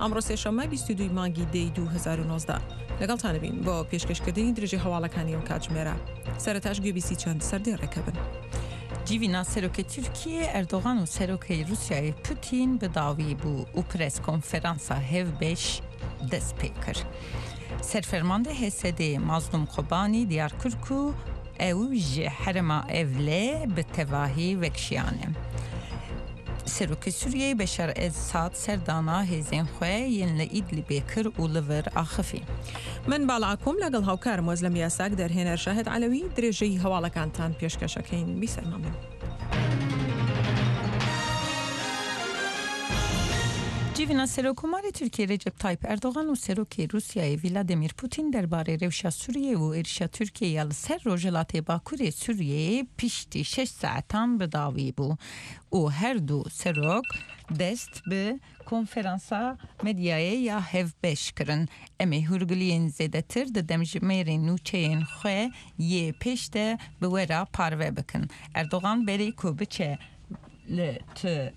ئەمڕۆ سێشەممە 22 مانگی دەی 2019 لەگەڵتانەبین بۆ پێشکەشکردنی درێژەی هەواڵەکانی ئەم کاتژمێرە. سەرەتاش گوێبیستی چەند سەردێڕێکە بن. Civîna Serokê Tirkiyê Erdogan û Serokê Rûsyayê Putîn bi dawî bû û preskonferansa hevbeş dest pê kir. Serfermandê HSD'ê Mazlûm Kobanî diyar kir ku ew ji herêma Evlê bi tevahî vekişiyane. Serokê Sûriyeyê Beşar Esad serdana hêzên xwe yên li Îdlibê kir û li vir axifî. من باڵا ئاکۆم لەگەڵ هاوکارم وەزلەم یاساک دەرهێنەر شاهد عەلەوی درێژەی هەواڵەکانتان پێشکەش ئەکەین بیسەرمان بن. Civîna Serokkomarê Tirkiyê Recep Tayyip Erdogan û Serokê Rûsyayê Vladimir Putin derbarê rewşa Sûriyeyê û êrişa Tirkiyê ya li ser Rojhilatê Bakurê Sûriyeyê piştî şeş saetan bi dawî bû û her du serok dest bi konferansa medyayê ya hevbeş kirin. Em ê hûrgiliyên zêdetir di demjimêrên nûçeyên xwe yê pêş de bi we re parve bikin. Erdogan berî ku biçe li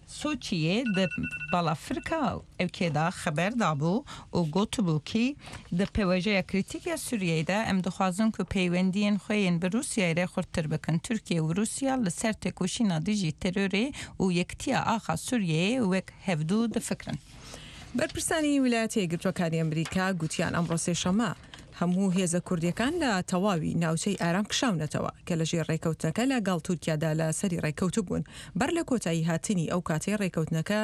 Soçiyê di balafirka ewkê de xeber dabû û gotibû kî di pêvajoya krîtîk ya Sûriyeyê de em dixwazin ku peywendiyên xwe yên bi Rûsyayê re xurttir bikin. Tirkiye û Rûsya li ser têkoşîna dijî terorê û yekitiya axa Sûriyeyê wek hevdu difikirin. بەرپرسانی ویلایەتە یەکگرتووەکانی ئەمریکا گوتیان ئەمڕۆ سێشەممە هەموو هێزە کوردییەکان لە تەواوی ناوچەی ئارام کشاونەتەوە کە لەژێر ڕێکەوتنەکە لە گەڵ تورکیادا لە سەری ڕێکەوتبوون بەر لە کۆتایی هاتنی ئەو کاتەی ڕێکەوتنەکە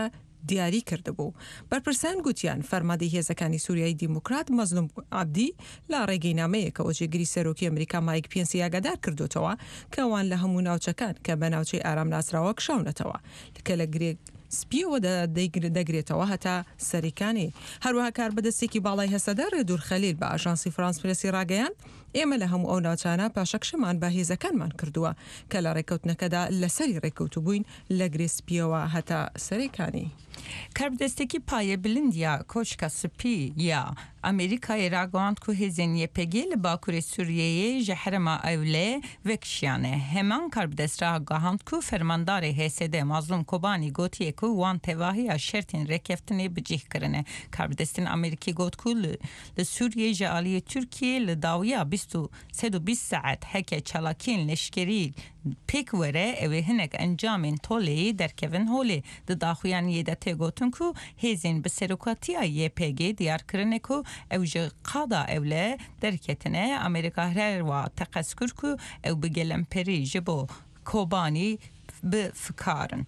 دیاری کردبوو. بەرپرسان گوتیان فەرماندەی هێزەکانی سوریای دیموکرات مەزلوم عەبدی لە ڕێگەی نامەیەکەوە جێگری سەرۆکی ئەمریکا مایک پێنسی ئاگادار کردۆتەوە کە ئەوان لە هەموو ناوچەکان کە بە ناوچەی ئارام ناسراوە کشاونەتەوە کە لە گرێ سپییەوە دەگرێتەوە هەتا سەریکانی. هەروەها کاربەدەستێکی باڵای هەسەدە ڕێدور خەلیل بە ئاژانسی فرانس پرێسی ڕاگەیاند، ئێمە لە هەموو ئەو ناوچانە پاشەکشەمان بە هێزەکانمان کردووە کە لە ڕێککەوتنەکەدا لەسەری ڕێککەوتبووین لە گرێ سپییەوە هەتا سەرێکانی. کاربەدەستێکی پایەبilind ya Koşka Spî ya Amerîkayê ragihand ku hêzên YPG'ê li bakurê Sûriyeyê ji herêma Ewle vekişiyane. Heman karbidest ragihand ku fermandarê HSD Mazlûm Kobanî gotiye ku wan tevahiya şertên rêkeftinê bi cih kirine. Karbidestên Amerîkî got ku li Sûriyeyê ji aliyê Tirkiyeyê li dawiya 120 saet heke çalakiyên leşkerî pêk were ew ê hinek encamên toleyê derkevin holê. Di daxuyaniyê de tê gotin ku hêzên bi serokatiya YPG'ê diyar kirine ku ew ji qada ewle derketine. Amerîka herwiha teqez kir ku ew bi gelemperî ji bo Kobanî bi fikar in.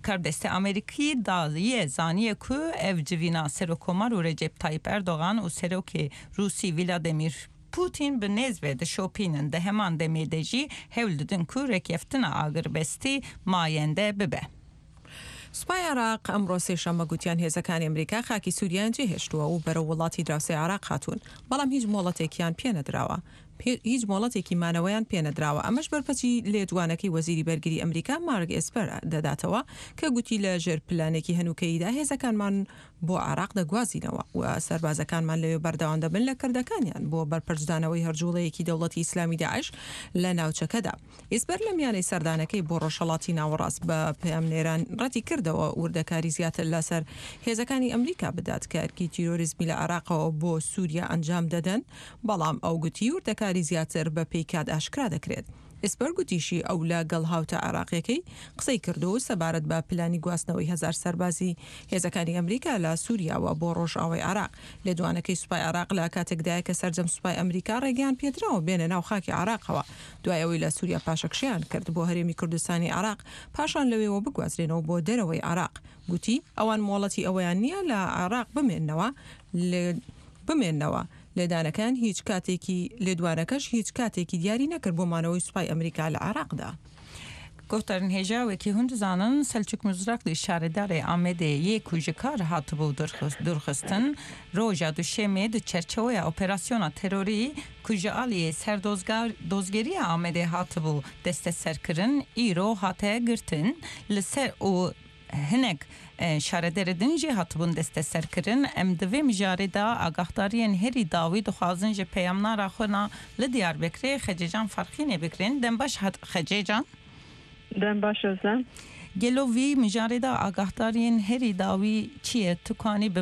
Karbidestê Amerîkî daye zaniye ku ev civîna Serokkomar û Recep Tayyip Erdogan û Serokê Rûsî Vladimir Pûtîn bi nêz ve dişopînin, di heman demê de jî hewl didin ku rêkeftina agirbestî mayende bibe. سوپای عێراق ئەمڕۆ سێشەممە گوتیان هێزەکانی ئەمریکا خاکی سوریایان جێهێشتووە و بەرەو وڵاتی دراوسێی عێراق هاتوون، بەڵام هیچ مۆڵەتێکیان پێنەدراوە هیچ مۆڵەتێکی مانەوەیان پێنەدراوە، ئەمەش بەرپەچی لێدوانەکەی وەزیری بەرگری ئەمریکا مارک ئێسپەر دەداتەوە کە گوتی لە ژێر پلانێکی هەنووکەییدا هێزەکانمان بۆ عێراق دەگوازینەوە و سەربازەکانمان لەوێ بەردەوام دەبن لە کردەکانیان بۆ بەرپەرچدانەوەی هەر جوڵەیەکی دەوڵەتی ئیسلامی داعش لە ناوچەکەدا. ئیسپەر لە میانەی سەردانەکەی بۆ ڕۆژهەڵاتی ناوەڕاست بە پەیامنێران ڕەتی کردەوە وردەکاری زیاتر لەسەر هێزەکانی ئەمریکا بدات کە ئەرکی تیرۆریزمی لە عێراقەوە بۆ سوریا ئەنجام دەدەن، بەڵام ئەو گوتی وردەکاری زیاتر بە پێی کات ئاشکرا دەکرێت. ئیسپەر گوتیشی ئەو لە گەڵ هاوتا عێراقیەکەی قسەی کردووە و سەبارەت بە پلانی گواستنەوەی هەزار سەربازی هێزەکانی ئەمریکا لە سوریاوە بۆ ڕۆژئاوای عێراق. لێدوانەکەی سوپای عێراق لە کاتێکدایە کە سەرجەم سوپای ئەمریکا ڕێگەیان پێدراوە بێنە ناو خاکی عێراقەوە دوای ئەوەی لە سوریا پاشەکشەیان کرد بۆ هەرێمی کوردستانی عێراق پاشان لەوێوە بگوازرێنەوە بۆ دەرەوەی عێراق. گوتی ئەوان مۆڵەتی ئەوەیان نییە لە عێراق بمێننەوە بمێننەوە. لێدانەکەیان هیچ کاتێکی لێدوانەکەش هیچ کاتێکی دیاری نەکرد بۆ مانەوەی سوپای ئەمریکا لە عێراقدا. Guhdarên hêja wekî hûn dizanin Selçuk Mizrakli şaredarê Amedê yê ku ji kar hatibû dûrxistin, roja duşemê di çerçeweya operasyona terorî ku ji aliyê Serdozgeriya Amedê hatibû desteserkirin îro hate girtin li ser û Hinek şarederê din jî hatibûn desteserkirin. Em di vê mijarê de agahdariyên herî dawî dixwazin ji peyamnara xwe na li Diyarbekirê Xecêcan Farqînê bigirin. Dem baş Xecêcan. Dem baş Özlem. Gelo vî mijarê de agahdariyên herî dawî çi ye? Tu kanî bi.